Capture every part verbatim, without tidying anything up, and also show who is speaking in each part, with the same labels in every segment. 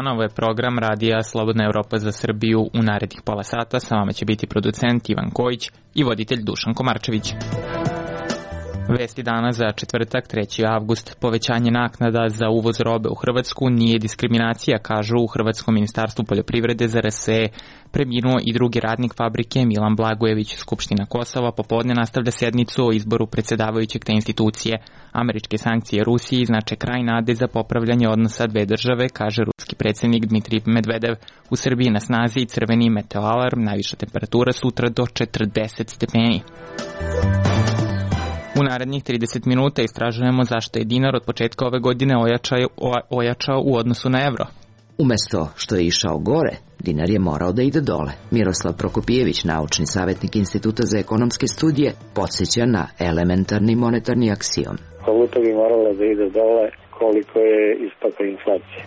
Speaker 1: dana, ovo je program Radija Slobodna Evropa za Srbiju. U narednih pola sata sa vama će biti producent Ivan Kojić i voditelj Dušan Komarčević. Vesti dana za četvrtak, treći avgust. Povećanje naknada za uvoz robe u Hrvatsku nije diskriminacija, kažu u Hrvatskom ministarstvu poljoprivrede. Za R S E preminuo i drugi radnik fabrike Milan Blagojević. Skupština Kosova popodne nastavlja sednicu o izboru predsjedavajućeg te institucije. Američke sankcije Rusiji znače kraj nade za popravljanje odnosa dve države, kaže ruski predsjednik Dmitrij Medvedev. U Srbiji na snazi i crveni meteoalarm, najviša temperatura sutra do četrdeset stepeni. U narednih trideset minuta istražujemo zašto je dinar od početka ove godine ojačao, ojačao u odnosu na evro.
Speaker 2: Umesto što je išao gore, dinar je morao da ide dole. Miroslav Prokopijević, naučni savjetnik Instituta za ekonomske studije, podsjeća na elementarni monetarni aksiom.
Speaker 3: Valuta bi morala da ide dole koliko je ispaka inflacije.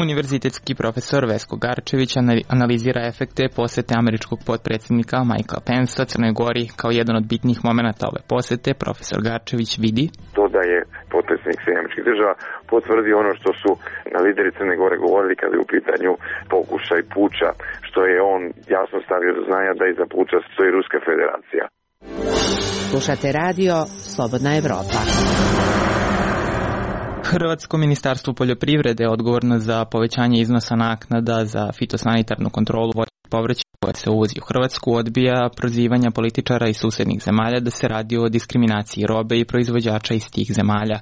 Speaker 1: Univerzitetski profesor Vesko Garčević analizira efekte posete američkog potpredsjednika Mikea Pensa Crnoj Gori. Kao jedan od bitnih momenata ove posete, profesor Garčević vidi
Speaker 4: to da je potpredsjednik Sjedinjenih Američkih Država potvrdio ono što su lideri Crne Gore govorili kada je u pitanju pokušaj puča, što je on jasno stavio do znanja da iza puča stoji Ruska federacija.
Speaker 2: Slušate radio Slobodna Evropa.
Speaker 1: Hrvatsko ministarstvo poljoprivrede je odgovorno za povećanje iznosa naknada za fitosanitarnu kontrolu voćnog povrća koje se uvozi u Hrvatsku. Odbija prozivanja političara iz susednih zemalja da se radi o diskriminaciji robe i proizvođača iz tih zemalja.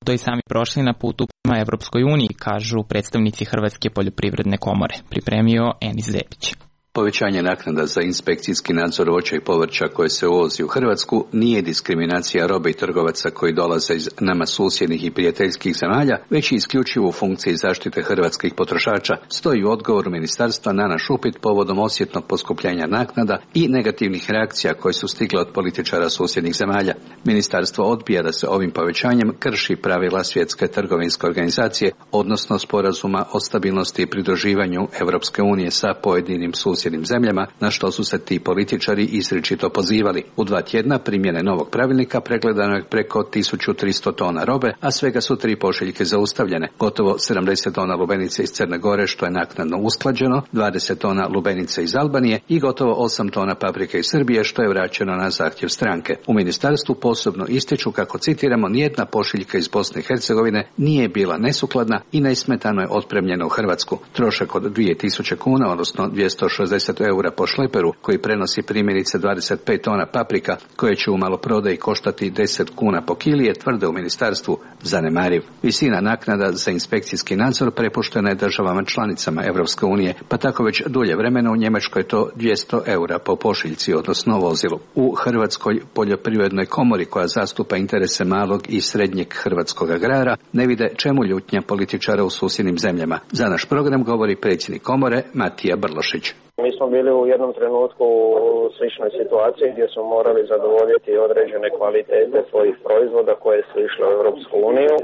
Speaker 1: To i sami prošli na putu prema Evropskoj uniji, kažu predstavnici Hrvatske poljoprivredne komore. Pripremio Enis Zepić.
Speaker 5: Povećanje naknada za inspekcijski nadzor voća i povrća koje se uvozi u Hrvatsku nije diskriminacija robe i trgovaca koji dolaze iz nama susjednih i prijateljskih zemalja, već i isključivo u funkciji zaštite hrvatskih potrošača, stoji u odgovoru ministarstva na naš upit povodom osjetnog poskupljenja naknada i negativnih reakcija koje su stigle od političara susjednih zemalja. Ministarstvo odbija da se ovim povećanjem krši pravila Svjetske trgovinske organizacije, odnosno sporazuma o stabilnosti i pridruživanju Evropske unije sa pojedinim susjednim zemljama, na što su se ti političari izričito pozivali. U dva tjedna primjene novog pravilnika pregledano je preko tisuću tristo tona robe, a svega su tri pošiljke zaustavljene. Gotovo sedamdeset tona lubenice iz Crne Gore, što je naknadno usklađeno, dvadeset tona lubenice iz Albanije i gotovo osam tona paprike iz Srbije, što je vraćeno na zahtjev stranke. U ministarstvu posebno ističu kako, citiramo, nijedna pošiljka iz Bosne i Hercegovine nije bila nesukladna i nesmetano je otpremljena u Hrvatsku. Trošak od dvije tisuće kuna, odnosno dvjesto šezdeset eura po šleperu, koji prenosi primjerice dvadeset pet tona paprika, koje će u maloprodaji koštati deset kuna po kili, je, tvrde u ministarstvu, zanemariv. Visina naknada za inspekcijski nadzor prepuštena je državama članicama Evropske unije, pa tako već dulje vremena u Njemačkoj je to dvjesto eura po pošiljci, odnosno vozilu. U Hrvatskoj poljoprivrednoj komori, koja zastupa interese malog i srednjeg hrvatskog agrara, ne vide čemu ljutnja političara u susjednim zemljama. Za naš program govori predsjednik komore Matija Brlošić.
Speaker 3: Mi smo bili u jednom trenutku u sličnoj situaciji gdje smo morali zadovoljiti određene kvalitete svojih proizvoda koje su išle u Europsku uniju.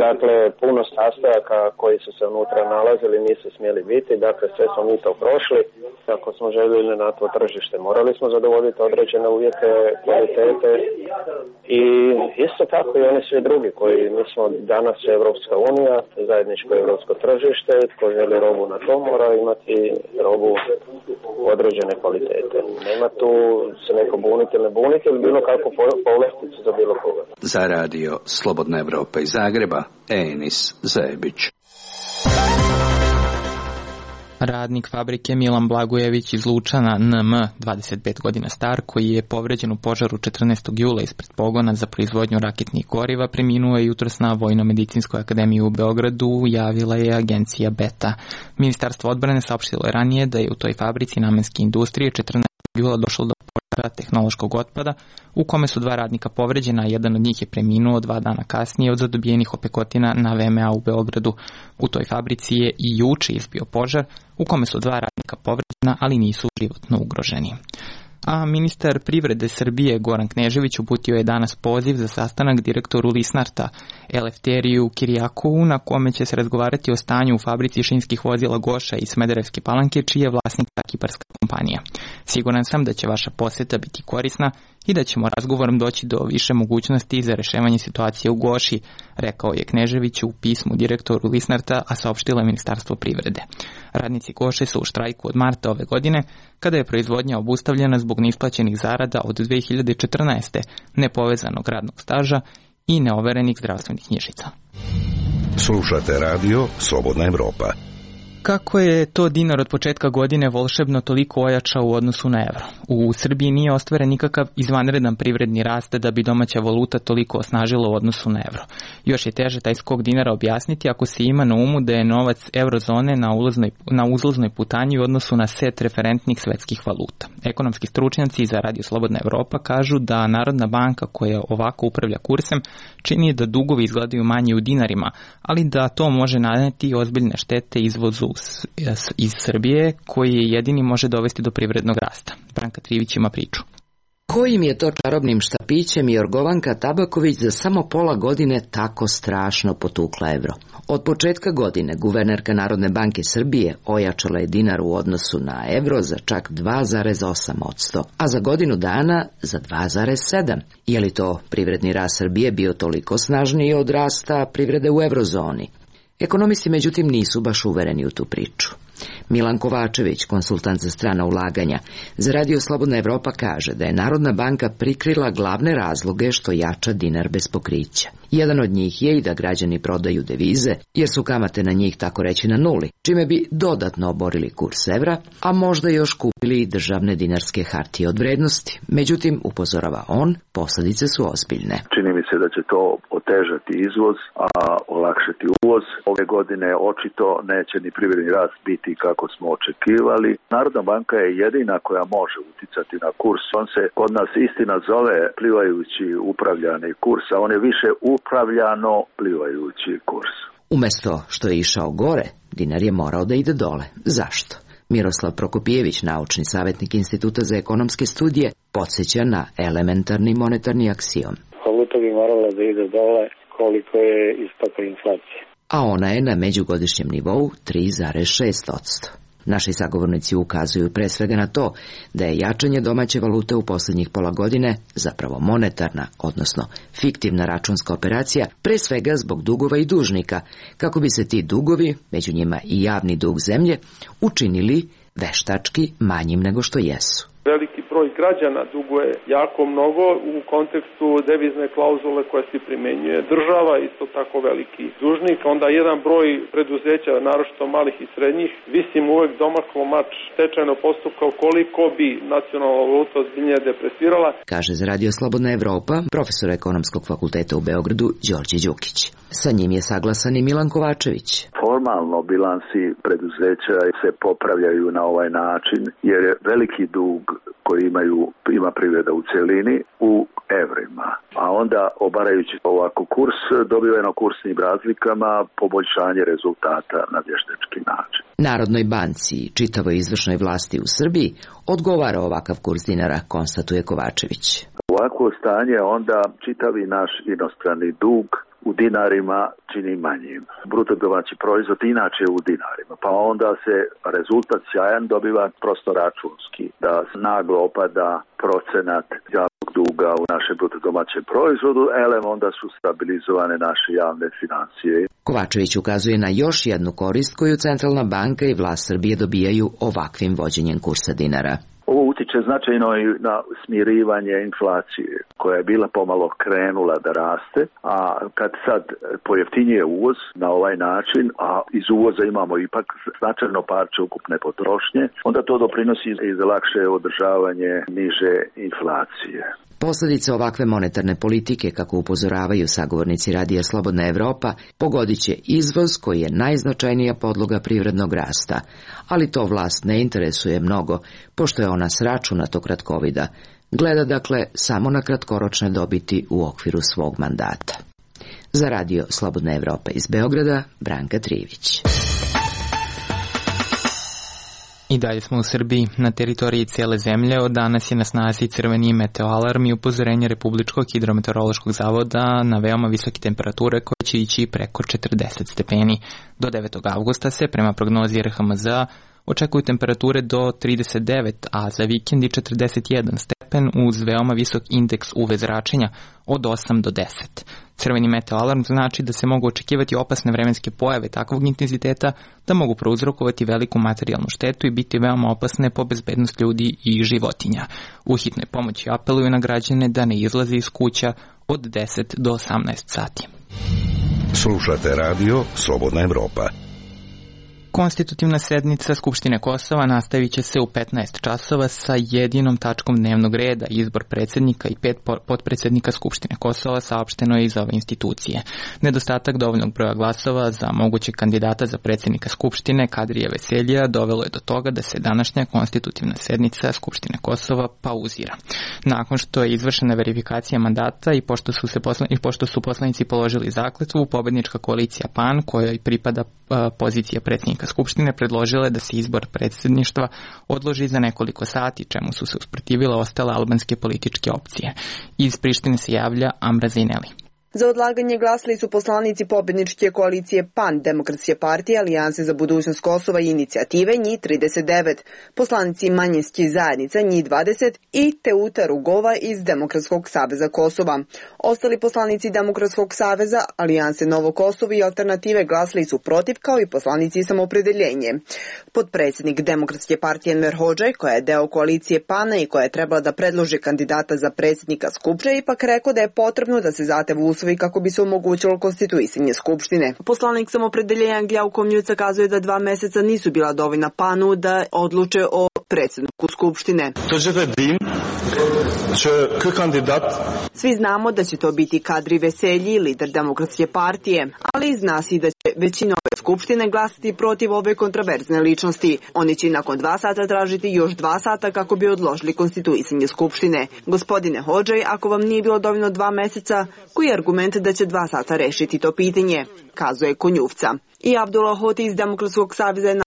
Speaker 3: Dakle, puno sastojaka koji su se unutra nalazili nisu smjeli biti, dakle sve smo mi to prošli. Ako smo željeli na to tržište, morali smo zadovoljiti određene uvjete kvalitete i isto tako i oni svi drugi koji, mi smo danas Europska unija, zajedničko europsko tržište, tko želi robu na to mora imati robu određene kvalitete. Nema tu se neko buniti ili ne buniti ili bilo kakvu povlasticu za bilo koga.
Speaker 5: Za radio Slobodna Evropa iz Zagreba, Enis Zebić.
Speaker 1: Radnik fabrike Milan Blagojević iz Lučana N M, dvadeset pet godina star, koji je povređen u požaru četrnaestog jula ispred pogona za proizvodnju raketnih goriva, preminuo je jutros na Vojno-medicinskoj akademiji u Beogradu, javila je agencija Beta. Ministarstvo odbrane saopštilo je ranije da je u toj fabrici namenske industrije četrnaestog jula došlo do požara tehnološkog otpada, u kome su dva radnika povređena, a jedan od njih je preminuo dva dana kasnije od zadobijenih opekotina na V M A u Beogradu. U toj fabrici je i juče izbio požar, u kome su dva radnika povređena, ali nisu životno ugroženi. A ministar privrede Srbije Goran Knežević uputio je danas poziv za sastanak direktoru Lisnarta Elefteriju Kirijakovu, na kome će se razgovarati o stanju u fabrici šinskih vozila Goša iz Smederevske Palanke, čiji je vlasnik ta kiparska kompanija. Siguran sam da će vaša posjeta biti korisna i da ćemo razgovorom doći do više mogućnosti za rešavanje situacije u Goši, rekao je Knežević u pismu direktoru Lisnarta, a saopštilo je Ministarstvo privrede. Radnici Goše su u štrajku od marta ove godine, kada je proizvodnja obustavljena zbog neisplaćenih zarada od dve hiljade četrnaeste, nepovezanog radnog staža i neoverenih zdravstvenih knjižica.
Speaker 6: Slušate radio Slobodna Evropa.
Speaker 1: Kako je to dinar od početka godine volšebno toliko ojačao u odnosu na evro? U Srbiji nije ostvaren nikakav izvanredan privredni rast da bi domaća valuta toliko osnažila u odnosu na evro. Još je teže taj skok dinara objasniti ako se ima na umu da je novac eurozone na, ulaznoj, na uzlaznoj putanji u odnosu na set referentnih svetskih valuta. Ekonomski stručnjaci za Radio Slobodna Evropa kažu da Narodna banka koja ovako upravlja kursem čini da dugovi izgledaju manje u dinarima, ali da to može naneti ozbiljne štete izvozu iz Srbije, koji je jedini može dovesti do privrednog rasta. Branka Trivić ima priču.
Speaker 2: Kojim je to čarobnim štapićem Jorgovanka Tabaković za samo pola godine tako strašno potukla evro? Od početka godine guvernerka Narodne banke Srbije ojačala je dinar u odnosu na evro za čak dva zarez osam posto, a za godinu dana za dva zarez sedam. Je li to privredni rast Srbije bio toliko snažniji od rasta privrede u evrozoni? Ekonomisti međutim nisu baš uvereni u tu priču. Milan Kovačević, konsultant za strana ulaganja, za Radio Slobodna Evropa kaže da je Narodna banka prikrila glavne razloge što jača dinar bez pokrića. Jedan od njih je i da građani prodaju devize, jer su kamate na njih tako reći na nuli, čime bi dodatno oborili kurs evra, a možda još kupili i državne dinarske hartije od vrednosti. Međutim, upozorava on, posljedice su ozbiljne.
Speaker 7: Čini mi se da će to otežati izvoz, a olakšati uvoz. Ove godine očito neće ni privredni rast biti kako smo očekivali. Narodna banka je jedina koja može uticati na kurs. On se kod nas istina zove plivajući upravljani kurs, a on je više upravljano plivajući kurs.
Speaker 2: Umesto što je išao gore, dinar je morao da ide dole. Zašto? Miroslav Prokopijević, naučni savjetnik Instituta za ekonomske studije, podsjeća na elementarni monetarni aksiom.
Speaker 8: Valuta bi morala da ide dole koliko je istopa inflacije.
Speaker 2: A ona je na međugodišnjem nivou tri zarez šest posto. Naši sagovornici ukazuju pre svega na to da je jačanje domaće valute u posljednjih pola godine zapravo monetarna, odnosno fiktivna računska operacija, pre svega zbog dugova i dužnika, kako bi se ti dugovi, među njima i javni dug zemlje, učinili veštački manjim nego što jesu.
Speaker 9: Veliki broj građana duguje jako mnogo u kontekstu devizne klauzule koja se primenjuje. Država isto tako veliki dužnik, onda jedan broj preduzeća, naročito malih i srednjih, visim uvek domaklo mač stečajnog postupka koliko bi nacionalna valuta ozbiljnije depresirala.
Speaker 2: Kaže za Radio Slobodna Evropa profesor ekonomskog fakulteta u Beogradu Đorđe Đukić. Sa njim je saglasan i Milan Kovačević.
Speaker 7: Formalno bilansi preduzeća se popravljaju na ovaj način jer je veliki dug koji imaju, ima privreda u celini u evrima. A onda obarajući ovako kurs, dobiveno kursnim razlikama poboljšanje rezultata na vještački način.
Speaker 2: Narodnoj banci i čitavoj izvršnoj vlasti u Srbiji odgovara ovakav kurs dinara, konstatuje Kovačević.
Speaker 7: Ovako stanje onda čitavi naš inostrani dug u dinarima čini manjim. Bruto domaći proizvod inače u dinarima, pa onda se rezultat sjajan dobiva prosto računski, da naglo opada procenat javnog duga u našem bruto domaćem proizvodu, elem onda su stabilizovane naše javne financije.
Speaker 2: Kovačević ukazuje na još jednu korist koju Centralna banka i vlast Srbije dobijaju ovakvim vođenjem kursa dinara.
Speaker 7: Ovo utiče značajno i na smirivanje inflacije, koja je bila pomalo krenula da raste, a kad sad pojeftinjuje uvoz na ovaj način, a iz uvoza imamo ipak značajno parče ukupne potrošnje, onda to doprinosi i za lakše održavanje niže inflacije.
Speaker 2: Posljedice ovakve monetarne politike, kako upozoravaju sagovornici Radija Slobodna Evropa, pogodit će izvoz koji je najznačajnija podloga privrednog rasta, ali to vlast ne interesuje mnogo, pošto je ona s računatog kratkovida. Gleda dakle samo na kratkoročne dobiti u okviru svog mandata. Za Radio Slobodna Evropa iz Beograda, Branka Trivić.
Speaker 1: I dalje smo u Srbiji. Na teritoriji cijele zemlje od danas je na snazi crveni meteoalarm i upozorenje Republičkog hidrometeorološkog zavoda na veoma visoke temperature koje će ići preko četrdeset stepeni. Do devetog avgusta se, prema prognozi R H M Z, očekuju temperature do trideset devet, a za vikend i četrdeset jedan stepen uz veoma visok indeks U V zračenja od osam do deset. Crveni meteo alarm znači da se mogu očekivati opasne vremenske pojave takvog intenziteta da mogu prouzrokovati veliku materijalnu štetu i biti veoma opasne po bezbednost ljudi i životinja. U hitnoj pomoći apeluju na građane da ne izlaze iz kuća od deset do osamnaest sati.
Speaker 6: Slušate radio Slobodna Evropa.
Speaker 1: Konstitutivna sednica Skupštine Kosova nastavit će se u petnaest časova sa jedinom tačkom dnevnog reda, izbor predsjednika i pet potpredsjednika Skupštine Kosova, saopšteno je iz ove institucije. Nedostatak dovoljnog broja glasova za mogućeg kandidata za predsjednika Skupštine Kadrija Veseljija dovelo je do toga da se današnja konstitutivna sednica Skupštine Kosova pauzira. Nakon što je izvršena verifikacija mandata i pošto su, se posla, i pošto su poslanici položili zakletvu, pobednička koalicija P A N, kojoj pripada uh, pozicija predsjednika Skupštine, predložila je da se izbor predsjedništva odloži za nekoliko sati, čemu su se usprotivile ostale albanske političke opcije. Iz Prištine se javlja Amra Zejneli.
Speaker 10: Za odlaganje glasali su poslanici pobedničke koalicije P A N, Demokratske partije, Alijanse za budućnost Kosova i inicijative, njih trideset devet, poslanici manjinskih zajednica, njih dvadeset i Teuta Rugova iz Demokratskog saveza Kosova. Ostali poslanici Demokratskog saveza, Alijanse Novo Kosovo i Alternative glasali su protiv, kao i poslanici Samoopredeljenje. Potpredsjednik Demokratske partije Enver Hodžaj, koja je deo koalicije P A N-a i koja je trebala da predloži kandidata za predsjednika Skupštine, ipak rekao da je potrebno da se zatev usvoji kako bi se omogućilo konstituisanje Skupštine. Poslanik Samoopredeljenja Gljau Komjuca kazuje da dva meseca nisu bila dovoljna P A N-u da odluče o predsjedniku Skupštine. Svi znamo da će to biti Kadri Veselji, lider Demokratske partije, ali zna se da će većina ove Skupštine glasati protiv ove kontraverzne ličnosti. Oni će nakon dva sata tražiti još dva sata kako bi odložili konstituisanje Skupštine. Gospodine Hodžaj, ako vam nije bilo dovoljno dva meseca, koji je argument da će dva sata rešiti to pitanje, kazuje Konjuvca. I Abdullah Hoti iz Demokratskog saveza je na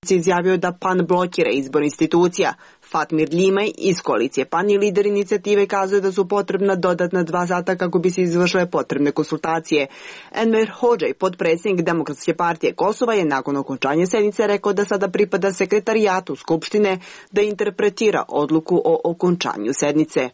Speaker 10: izjavio da P A N blokira izbor institucija. Fatmir Limaj iz koalicije P A N i lider inicijative kazuje da su potrebna dodatna dva sata kako bi se izvršile potrebne konsultacije. Enver Hodžaj, potpredsjednik Demokratske partije Kosova, je nakon okončanja sednice rekao da sada pripada sekretarijatu Skupštine da interpretira odluku o okončanju sednice.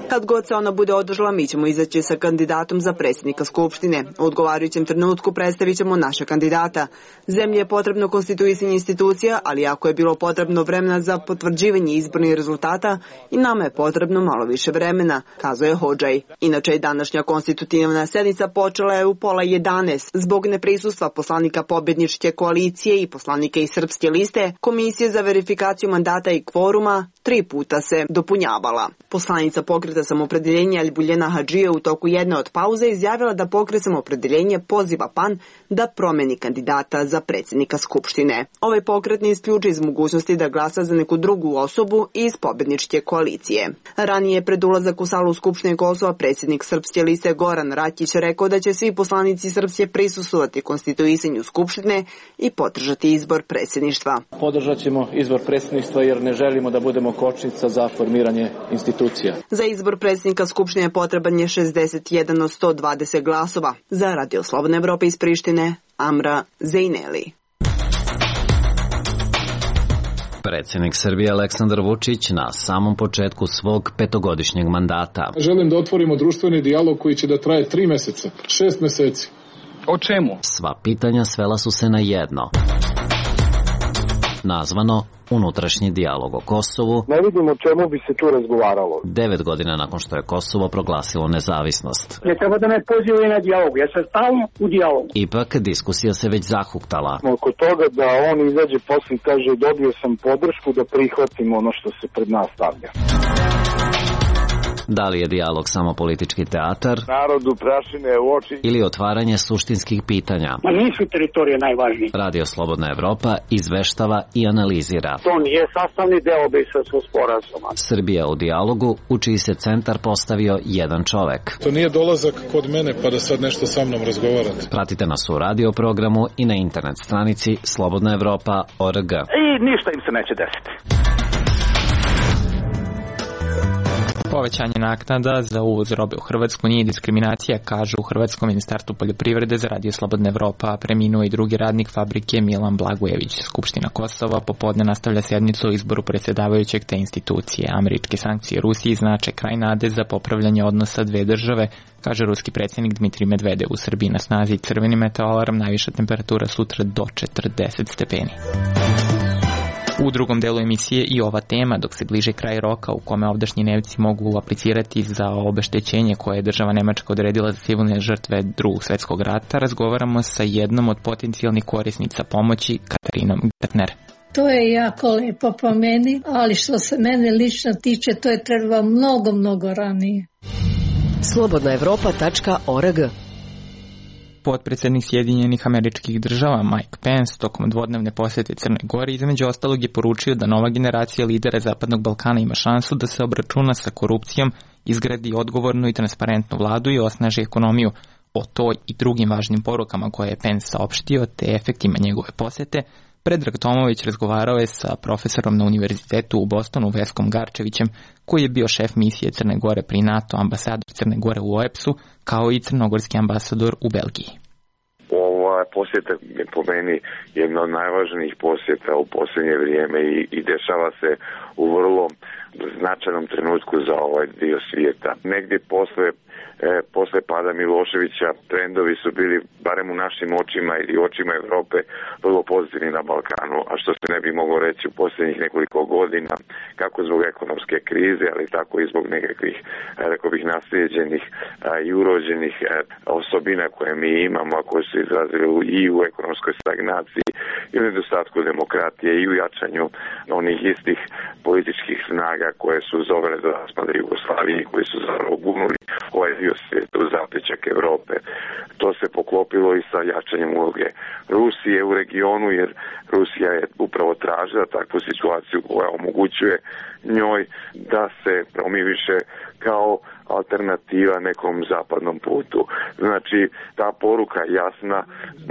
Speaker 10: Kad god se ona bude održala, mi ćemo izaći sa kandidatom za predsjednika Skupštine. U odgovarajućem trenutku predstavit ćemo naše kandidata. Zemlji je potrebno konstituisanje institucija, ali ako je bilo potrebno vremena za potvrđivanje izbornih rezultata, i nama je potrebno malo više vremena, kazuje Hodžaj. Inače je današnja konstitutivna sednica počela je u pola jedanaest. Zbog neprisustva poslanika pobedničke koalicije i poslanika iz Srpske liste, Komisija za verifikaciju mandata i kvoruma tri puta se dopunjavala. Poslanica Pokreta Samoopredeljenja Albuljena Hadžija u toku jedne od pauze izjavila da Pokret Samoopredeljenje poziva P A N da promeni kandidata za predsjednika Skupštine. Ovaj pokret ne isključuje iz mogućnosti da glasa za neku drugu osobu iz pobedničke koalicije. Ranije pred ulazak u salu Skupštine Kosova predsjednik Srpske liste Goran Rakić rekao da će svi poslanici Srpske prisustvovati konstituisanju Skupštine i podržati izbor predsjedništva.
Speaker 11: Podržat ćemo izbor predsjedništva jer ne želimo da budemo kočnica za formiranje institucija.
Speaker 10: Za izbor predsjednika Skupštine potreban je šezdeset jedan od sto dvadeset glasova. Za Radio Slobodna Evropa iz Prištine, Amra Zejneli.
Speaker 12: Predsjednik Srbije Aleksandar Vučić na samom početku svog petogodišnjeg mandata.
Speaker 13: Želim da otvorimo društveni dijalog koji će da traje tri meseca, šest meseci.
Speaker 11: O čemu?
Speaker 12: Sva pitanja svela su se na jedno. Nazvano unutrašnji dijalog o Kosovu.
Speaker 14: Ne vidim o čemu bi se tu razgovaralo.
Speaker 12: Devet godina nakon što je Kosovo proglasilo nezavisnost.
Speaker 14: Ne treba da me pozivaju na dijalog, ja sam stalno u dijalogu.
Speaker 12: Ipak diskusija se već zahuktala.
Speaker 14: Oko toga da on izađe posle i kaže dobio sam podršku da prihvatim ono što se pred nas stavlja.
Speaker 12: Da li je dijalog samo politički teatar?
Speaker 14: Narodu prašine u oči.
Speaker 12: Ili otvaranje suštinskih pitanja?
Speaker 14: Ma nisu teritorije najvažnije.
Speaker 12: Radio Slobodna Evropa izveštava i analizira.
Speaker 14: To nije sastavni deo Briselskog sporazuma.
Speaker 12: Srbija u dijalogu, u čiji se centar postavio jedan čovek.
Speaker 13: To nije dolazak kod mene pa da sad nešto sa mnom razgovarate.
Speaker 12: Pratite nas u radio programu i na internet stranici slobodna evropa tačka org.
Speaker 14: I ništa im se neće desiti.
Speaker 1: Povećanje naknada za uvoz robe u Hrvatsku nije diskriminacija, kaže u Hrvatskom ministarstvu poljoprivrede za Radio Slobodna Evropa. Preminuo i drugi radnik fabrike Milan Blagojević. Skupština Kosova popodne nastavlja sednicu o izboru predsjedavajućeg te institucije. Američke sankcije Rusiji znače kraj nade za popravljanje odnosa dve države, kaže ruski predsjednik Dmitrij Medvedev. U Srbiji na snazi crveni meteoalarm, najviša temperatura sutra do četrdeset stepeni. U drugom delu emisije i ova tema, dok se bliže kraj roka u kome ovdašnji Nemci mogu aplicirati za obeštećenje koje je država Nemačka odredila za civilne žrtve Drugog svjetskog rata, razgovaramo sa jednom od potencijalnih korisnica pomoći, Katarinom Gartner.
Speaker 15: To je jako lepo po meni, ali što se mene lično tiče, to je treba mnogo, mnogo ranije.
Speaker 16: slobodna evropa tačka org.
Speaker 1: Potpredsjednik Sjedinjenih Američkih Država Mike Pence tokom dvodnevne posjete Crne Gore između ostalog je poručio da nova generacija lidera Zapadnog Balkana ima šansu da se obračuna sa korupcijom, izgradi odgovornu i transparentnu vladu i osnaži ekonomiju. O toj i drugim važnim porukama koje je Pence saopštio te efektima njegove posjete, Predrag Tomović razgovarao je sa profesorom na univerzitetu u Bostonu Veskom Garčevićem, koji je bio šef misije Crne Gore pri NATO, ambasador Crne Gore u O E P S-u, kao i crnogorski ambasador u Belgiji.
Speaker 4: Ova posjeta je po meni jedna od najvažnijih posjeta u posljednje vrijeme i, i dešava se u vrlo značajnom trenutku za ovaj dio svijeta. Negdje posle E, posle pada Miloševića trendovi su bili, barem u našim očima ili očima Europe, vrlo pozitivni na Balkanu, a što se ne bi moglo reći u posljednjih nekoliko godina, kako zbog ekonomske krize, ali tako i zbog nekakvih, rekao bih, naslijeđenih i urođenih osobina koje mi imamo, a koje su izrazili i u ekonomskoj stagnaciji i u nedostatku demokratije i u jačanju onih istih političkih snaga koje su zovele do raspada Jugoslavije, koji su zapravo gunuli ovaj dio svijeta u zapećak Europe. To se poklopilo i sa jačanjem uloge Rusije u regionu, jer Rusija je upravo tražila takvu situaciju koja omogućuje njoj da se promiviše kao alternativa nekom zapadnom putu. Znači, ta poruka jasna,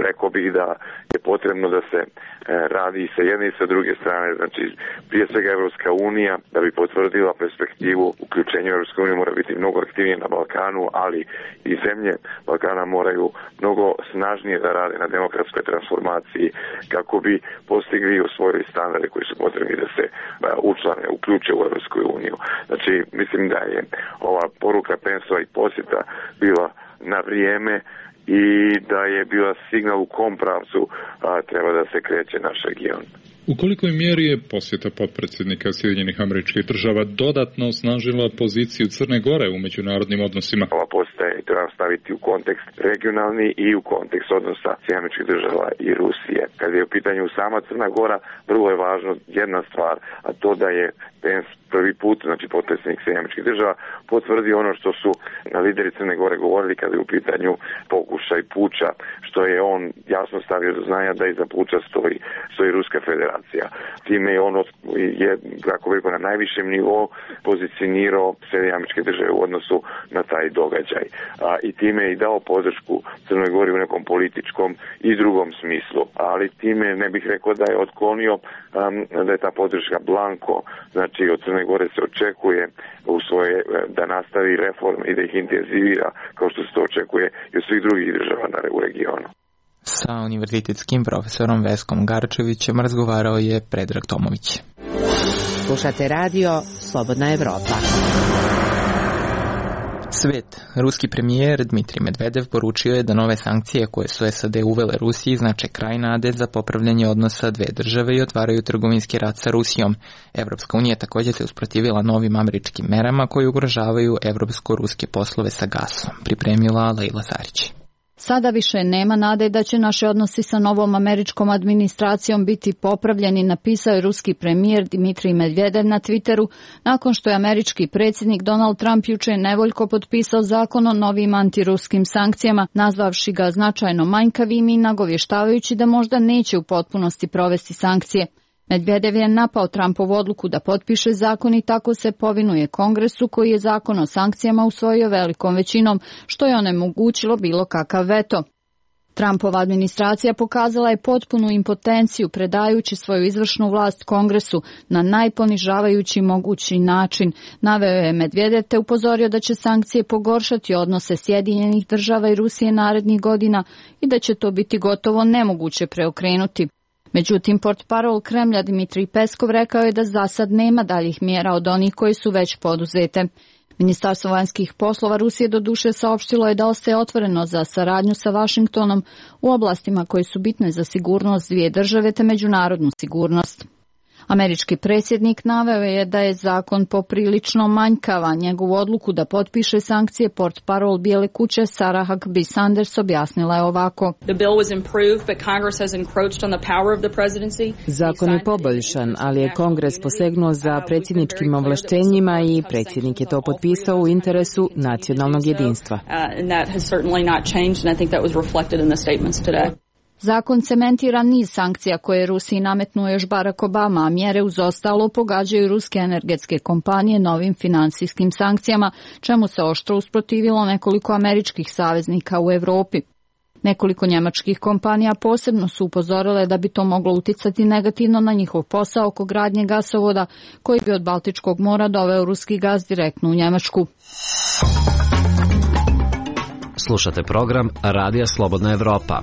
Speaker 4: rekao bih da je potrebno da se radi i sa jedne i sa druge strane. Znači, prije svega Evropska unija, da bi potvrdila perspektivu uključenja Evropske unije, mora biti mnogo aktivnije na Balkanu, ali i zemlje Balkana moraju mnogo snažnije da rade na demokratskoj transformaciji kako bi postigli u svojoj standarde koji su potrebni da se učlane, uključe u Evropsku uniju. Znači, mislim da je ova poruka Pence-ova i posjeta bila na vrijeme i da je bila signal u kom pravcu a, treba da se kreće naš region.
Speaker 17: U kolikoj mjeri je posjeta potpredsjednika Sjedinjenih Američkih Država dodatno osnažila poziciju Crne Gore u međunarodnim odnosima?
Speaker 4: Ova posjeta je treba staviti u kontekst regionalni i u kontekst odnosa Sjedinjenih Američkih Država i Rusije. Kad je u pitanju sama Crna Gora, vrlo je važno jedna stvar, a to da je Pence prvi put, znači potpredsjednik Sjedinjenih Američkih Država, potvrdio ono što su lideri Crne Gore govorili kada je u pitanju pokušaj puča, što je on jasno stavio do znanja da iza puča stoji, stoji Ruska federacija. Time je on je, kako bih na najvišem nivou pozicionirao Sjedinjene Američke Države u odnosu na taj događaj. A, I time je i dao podršku Crnoj Gori u nekom političkom i drugom smislu. Ali time ne bih rekao da je otklonio um, da je ta podrška blanko. Znači, od Crne Gore se očekuje u svoje, da nastavi reform i da ih intenzivira kao što se to očekuje i od svih drugih država u regionu.
Speaker 1: Sa univerzitetskim profesorom Veskom Garčevićem razgovarao je Predrag Tomović.
Speaker 16: Slušate radio Slobodna Evropa.
Speaker 1: Svet. Ruski premijer Dmitrij Medvedev poručio je da nove sankcije koje su S A D uvele Rusiji znače kraj nade za popravljanje odnosa dve države i otvaraju trgovinski rat sa Rusijom. Evropska unija također se usprotivila novim američkim merama koji ugrožavaju evropsko-ruske poslove sa gasom. Pripremila Lejla Sarić.
Speaker 18: Sada više nema nade da će naši odnosi sa novom američkom administracijom biti popravljeni, napisao je ruski premijer Dmitrij Medvedev na Twitteru, nakon što je američki predsjednik Donald Trump juče nevoljko potpisao zakon o novim antiruskim sankcijama, nazvavši ga značajno manjkavim i nagovještavajući da možda neće u potpunosti provesti sankcije. Medvedev je napao Trumpovu odluku da potpiše zakon i tako se povinuje Kongresu koji je zakon o sankcijama usvojio velikom većinom, što je onemogućilo bilo kakav veto. Trumpova administracija pokazala je potpunu impotenciju predajući svoju izvršnu vlast Kongresu na najponižavajući mogući način. Naveo je Medvedev te upozorio da će sankcije pogoršati odnose Sjedinjenih država i Rusije narednih godina i da će to biti gotovo nemoguće preokrenuti. Međutim, portparol Kremlja Dmitrij Peskov rekao je da za sad nema daljih mjera od onih koji su već poduzete. Ministarstvo vanjskih poslova Rusije doduše saopštilo je da ostaje otvoreno za saradnju sa Vašingtonom u oblastima koje su bitne za sigurnost dvije države te međunarodnu sigurnost. Američki predsjednik naveo je da je zakon poprilično manjkava. Njegovu odluku da potpiše sankcije portparol Bijele kuće Sarah Huckabee Sanders objasnila je ovako.
Speaker 19: Zakon je poboljšan, ali je Kongres posegnuo za predsjedničkim ovlaštenjima i predsjednik je to potpisao u interesu nacionalnog jedinstva.
Speaker 18: Zakon cementira niz sankcija koje je Rusiji nametnuo još Barack Obama, a mjere uz ostalo pogađaju ruske energetske kompanije novim finansijskim sankcijama, čemu se oštro usprotivilo nekoliko američkih saveznika u Europi. Nekoliko njemačkih kompanija posebno su upozorile da bi to moglo uticati negativno na njihov posao oko gradnje gasovoda koji bi od Baltičkog mora doveo ruski gas direktno u Njemačku.
Speaker 12: Slušate program Radija Slobodna Evropa.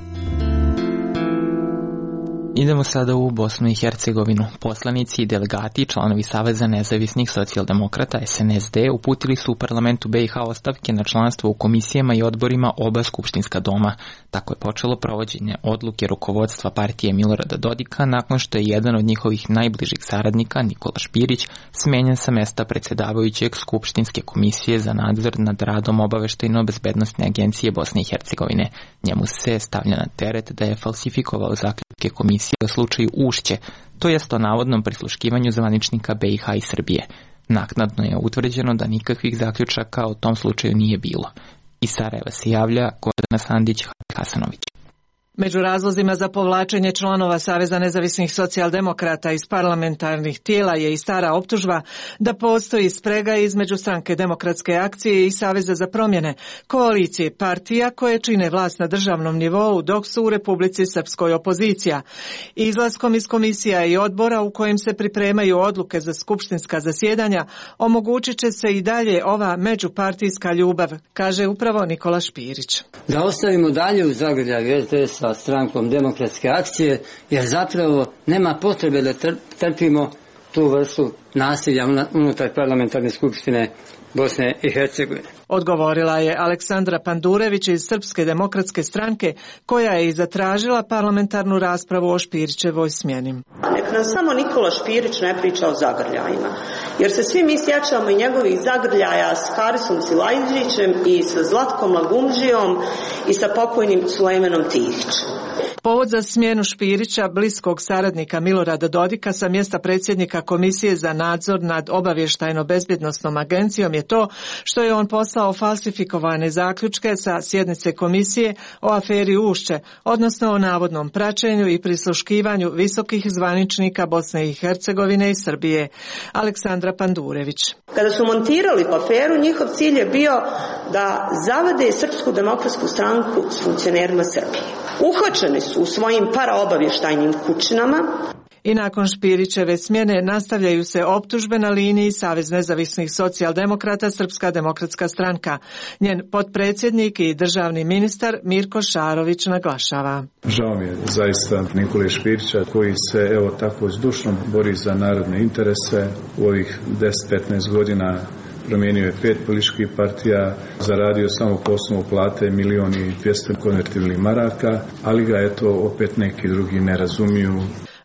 Speaker 1: Idemo sada u Bosnu i Hercegovinu. Poslanici i delegati, članovi Saveza nezavisnih socijaldemokrata S N S D uputili su u parlamentu B i H ostavke na članstvo u komisijama i odborima oba skupštinska doma. Tako je počelo provođenje odluke rukovodstva partije Milorada Dodika nakon što je jedan od njihovih najbližih saradnika, Nikola Špirić, smenjen sa mesta predsjedavajućeg skupštinske komisije za nadzor nad radom obaveštajno-bezbednosne agencije Bosne i Hercegovine. Njemu se stavlja na teret da je falsifikovao zaključke komisije o slučaju Ušće, to jest o navodnom prisluškivanju zvaničnika B i H i Srbije. Naknadno je utvrđeno da nikakvih zaključaka o tom slučaju nije bilo. Iz Sarajeva se javlja Gordana Sandić-Hasanović.
Speaker 20: Među razlozima za povlačenje članova Saveza nezavisnih socijaldemokrata iz parlamentarnih tijela je i stara optužba da postoji sprega između Stranke demokratske akcije i Saveza za promjene, koalicije partija koje čine vlast na državnom nivou dok su u Republici Srpskoj opozicija. Izlaskom iz komisija i odbora u kojim se pripremaju odluke za skupštinska zasjedanja omogućit će se i dalje ova međupartijska ljubav, kaže upravo Nikola Špirić.
Speaker 21: Da ostavimo dalje u zagrljaju S D S sa Strankom demokratske akcije, jer zapravo nema potrebe da trpimo tu vrstu nasilja unutar parlamentarne skupštine Bosne i Hercegovine.
Speaker 20: Odgovorila je Aleksandra Pandurević iz Srpske demokratske stranke, koja je i zatražila parlamentarnu raspravu o Špirićevoj smjeni.
Speaker 22: Nek nam samo Nikola Špirić ne priča o zagrljajima, jer se svi mi sjećamo i njegovih zagrljaja s Harisom Silajđićem i sa Zlatkom Lagumđijom i sa pokojnim Sulejmanom Tihićem.
Speaker 20: Povod za smjenu Špirića, bliskog saradnika Milorada Dodika sa mjesta predsjednika Komisije za nadzor nad obavještajno-bezbjednosnom agencijom je to što je on poslao falsifikovane zaključke sa sjednice komisije o aferi Ušće, odnosno o navodnom praćenju i prisluškivanju visokih zvaničnika Bosne i Hercegovine i Srbije. Aleksandra Pandurević.
Speaker 22: Kada su montirali aferu, njihov cilj je bio da zavade Srpsku demokratsku stranku s funkcionerima Srbije. Uhvaćeni su u svojim paraobavještajnim kućinama.
Speaker 20: I nakon Špirićeve smjene nastavljaju se optužbe na liniji Savez nezavisnih socijaldemokrata Srpska demokratska stranka. Njen potpredsjednik i državni ministar Mirko Šarović naglašava.
Speaker 23: Žao mi je zaista Nikole Špirića koji se evo tako zdušno bori za narodne interese u ovih deset do petnaest godina. Promijenio je pet političkih partija, zaradio samo po osnovu plate milion i dvjesto konvertibilnih maraka, ali ga eto opet neki drugi ne razumiju.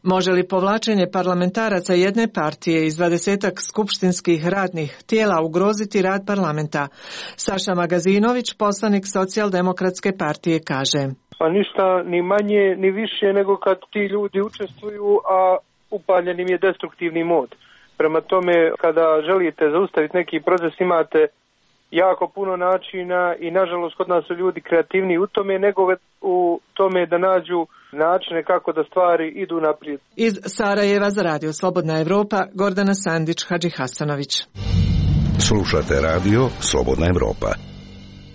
Speaker 20: Može li povlačenje parlamentaraca jedne partije iz dvadesetak skupštinskih radnih tijela ugroziti rad parlamenta? Saša Magazinović, poslanik Socijaldemokratske partije, kaže.
Speaker 24: Pa ništa ni manje ni više nego kad ti ljudi učestvuju, a upaljen im je destruktivni mod. Prema tome, kada želite zaustaviti neki proces, imate jako puno načina i nažalost kod nas su ljudi kreativniji u tome nego u tome da nađu načine kako da stvari idu naprijed.
Speaker 20: Iz Sarajeva za Radio Slobodna Evropa, Gordana Sandić, Hadži Hasanović.
Speaker 6: Slušate Radio Slobodna Evropa.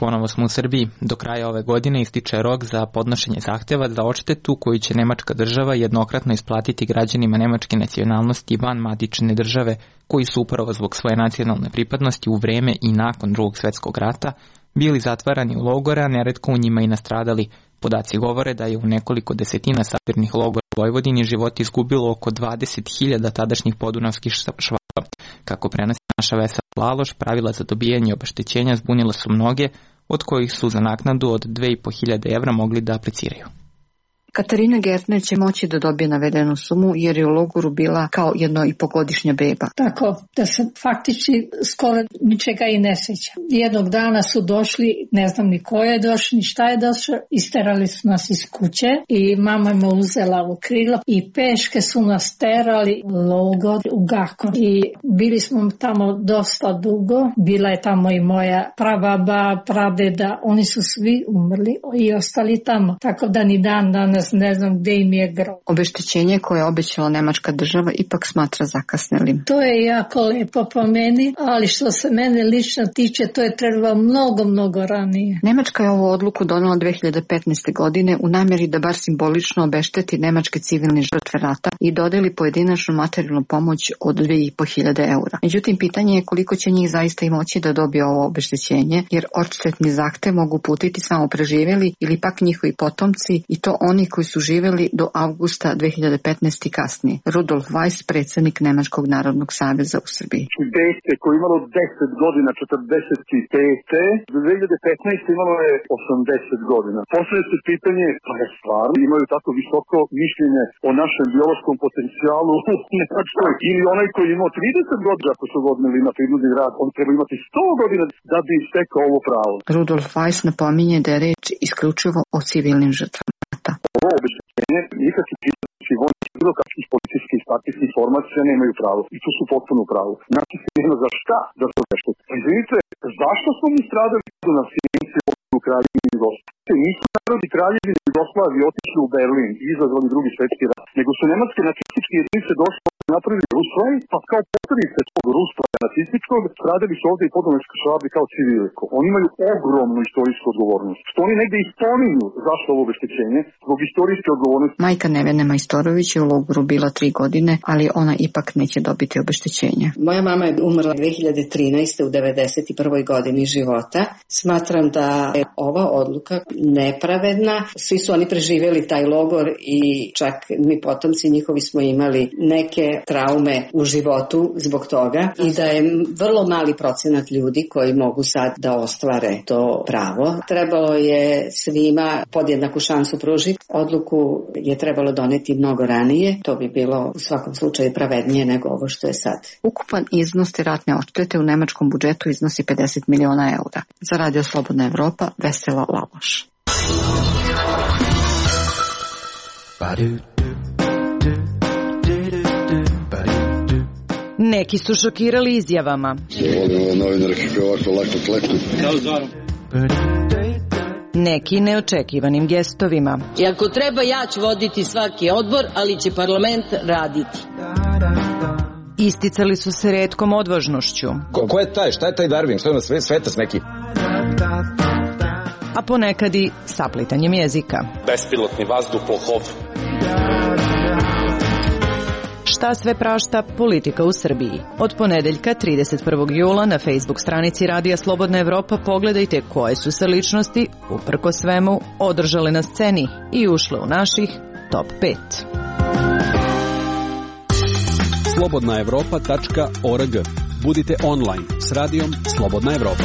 Speaker 1: ponovo smo u Srbiji. Do kraja ove godine ističe rok za podnošenje zahteva za odštetu koju će nemačka država jednokratno isplatiti građanima nemačke nacionalnosti van matične države koji su upravo zbog svoje nacionalne pripadnosti u vreme i nakon Drugog svetskog rata bili zatvarani u logore, a neretko u njima i nastradali. Podaci govore da je u nekoliko desetina sabirnih logora u Vojvodini život izgubilo oko dvadeset hiljada tadašnjih podunavskih Švaba. Kako prenosi naša Vesela Laloš, pravila za dobijanje obeštećenja zbunila su mnoge, od kojih su za naknadu od dve i po hiljade evra mogli da apliciraju.
Speaker 3: Katarina Gertner će moći da dobije navedenu sumu jer je u logoru bila kao jedno i pogodišnja beba.
Speaker 15: Tako da se faktički skoro ničega i ne sjeća. Jednog dana su došli, ne znam ni ko je došao, ni šta je došao, isterali su nas iz kuće i mama me uzela u krilo i peške su nas terali u logor u Gakon. I bili smo tamo dosta dugo, bila je tamo i moja prababa, pradeda, oni su svi umrli i ostali tamo. Tako da ni dan danas ne znam gde im je grob.
Speaker 3: Obeštećenje koje je obećala nemačka država ipak smatra zakasnelim.
Speaker 15: To je jako lepo po meni, ali što se mene lično tiče, to je trebalo mnogo, mnogo ranije.
Speaker 3: Nemačka je ovu odluku donela dve hiljade petnaeste. godine u namjeri da bar simbolično obešteti nemačke civilne žrtve rata i dodeli pojedinačnu materijalnu pomoć od dve i po hiljade eura. Međutim, pitanje je koliko će njih zaista i moći da dobije ovo obeštećenje, jer odštetni zahtev mogu putiti samo preživjeli ili pak njihovi potomci i to oni koji su živjeli do avgusta dve hiljade petnaeste. kasnije. Rudolf Weiss, predsjednik Nemačkog narodnog saveza u Srbiji.
Speaker 5: Dete koje imalo deset godina, četrdeset pet. Do dve hiljade petnaeste. imalo je osamdeset godina. Poslije se pitanje, pa je stvarno imaju tako visoko mišljenje o našem biološkom potencijalu u Nemačkoj, ili onaj koji je imao trideset godina, ako su godinili na prinudni rad, on treba imati sto godina da bi stekao ovo pravo.
Speaker 3: Rudolf Weiss napominje da je reč isključivo o civilnim žrtvama.
Speaker 5: Ovo obeštećenje nikakvi pripadnici vojnih bilo kakvih policijskih i partijskih formacija nemaju pravo. I tu su potpuno u pravu. Znači se nema za šta da se obeštete. Izvinite, zašto smo mi stradali na Sijenici u Kraljevini Jugoslavije? Nisu narodi Kraljevine Jugoslavije otišli u Berlin i izazvali drugi svetski rat, nego su nemačke nacističke jedinice došle napravili Rusvaj, pa kao potredice tog Rusvaja nacističkog stradali su ovdje i podunavski Švabi kao civili. Oni imaju ogromnu istorijsku odgovornost. Što oni negdje i spominju zašto ovo obeštećenje, zbog istorijske odgovornosti.
Speaker 3: Majka Nevene Majstorović je u logoru bila tri godine, ali ona ipak neće dobiti obeštećenje.
Speaker 8: Moja mama je umrla dve hiljade trinaeste. u devedeset prvoj godini života. Smatram da je ova odluka nepravedna. Svi su oni preživjeli taj logor i čak mi potomci njihovi smo imali neke traume u životu zbog toga i da je vrlo mali procenat ljudi koji mogu sad da ostvare to pravo. Trebalo je svima podjednaku šansu pružiti. Odluku je trebalo doneti mnogo ranije. To bi bilo u svakom slučaju pravednije nego ovo što je sad.
Speaker 3: Ukupan iznos te ratne odštete u nemačkom budžetu iznosi pedeset miliona eura. Za Radio Slobodna Evropa, Vesela Laloš.
Speaker 9: Neki su šokirali izjavama. Neki neočekivanim gestovima.
Speaker 25: I ako treba, ja ću voditi svaki odbor, ali će parlament raditi.
Speaker 9: Isticali su se retkom odvažnošću.
Speaker 26: Ko, ko je taj? Šta je taj Darwin? Što je na sve, svetac neki?
Speaker 9: A ponekad i saplitanjem jezika.
Speaker 27: Bespilotni vazduhoplov.
Speaker 9: Šta sve prašta politika u Srbiji? Od ponedeljka trideset prvog jula na Facebook stranici Radija Slobodna Evropa pogledajte koje su se ličnosti, uprko svemu, održale na sceni i ušle u naših top pet.
Speaker 28: slobodna evropa tačka org. Budite online s radijom Slobodna Evropa.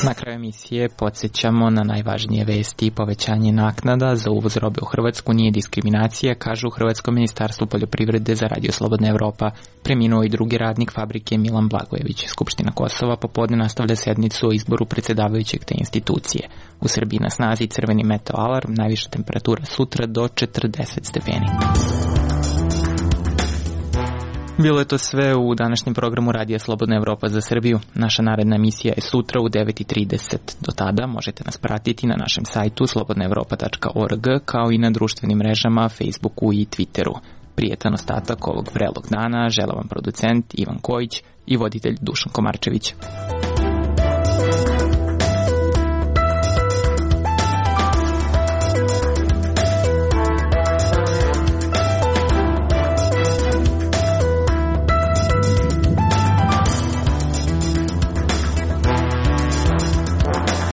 Speaker 1: Na kraju emisije podsjećamo na najvažnije vesti i povećanje naknada za uvoz robe u Hrvatsku nije diskriminacija, kažu u Hrvatskom ministarstvu poljoprivrede za Radio Slobodna Evropa. Preminuo i drugi radnik fabrike Milan Blagojević. Skupština Kosova popodne nastavlja sednicu o izboru predsjedavajućeg te institucije. U Srbiji na snazi crveni meteo alarm, najviša temperatura sutra do četrdeset stepeni. Bilo je to sve u današnjem programu Radija Slobodna Evropa za Srbiju. Naša naredna emisija je sutra u devet i trideset. Do tada možete nas pratiti na našem sajtu slobodna evropa tačka org kao i na društvenim mrežama, Facebooku i Twitteru. Prijetan ostatak ovog vrelog dana žele vam producent Ivan Kojić i voditelj Dušan Komarčević.